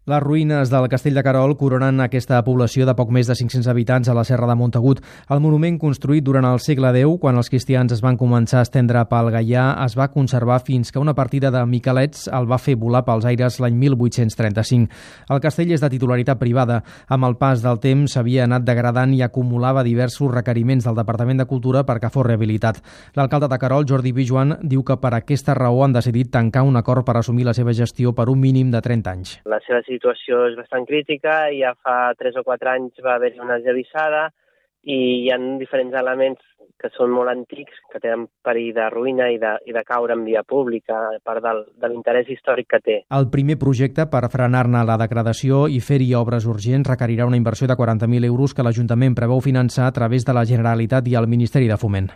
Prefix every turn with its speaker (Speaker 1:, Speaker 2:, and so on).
Speaker 1: Les ruïnes del Castell de Querol coronen aquesta població de poc més de 500 habitants a la Serra de Montagut. El monument, construït durant el segle X, quan els cristians es van començar a estendre pel Gaià, es va conservar fins que una partida de miquelets el va fer volar pels aires l'any 1835. El castell és de titularitat privada. Amb el pas del temps s'havia anat degradant i acumulava diversos requeriments del Departament de Cultura perquè fos rehabilitat. L'alcalde de Querol, Jordi Pijuan, diu que per aquesta raó han decidit tancar un acord per assumir la seva gestió per un mínim de 30 anys.
Speaker 2: La seva situació és bastant crítica i ja fa 3 o 4 anys va haver-hi una esllavissada i hi ha diferents elements que són molt antics, que tenen perill de ruïna i de caure en via pública, a part de l'interès històric que té.
Speaker 1: El primer projecte per frenar-ne la degradació i fer-hi obres urgents requerirà una inversió de 40.000 euros que l'Ajuntament preveu finançar a través de la Generalitat i el Ministeri de Foment.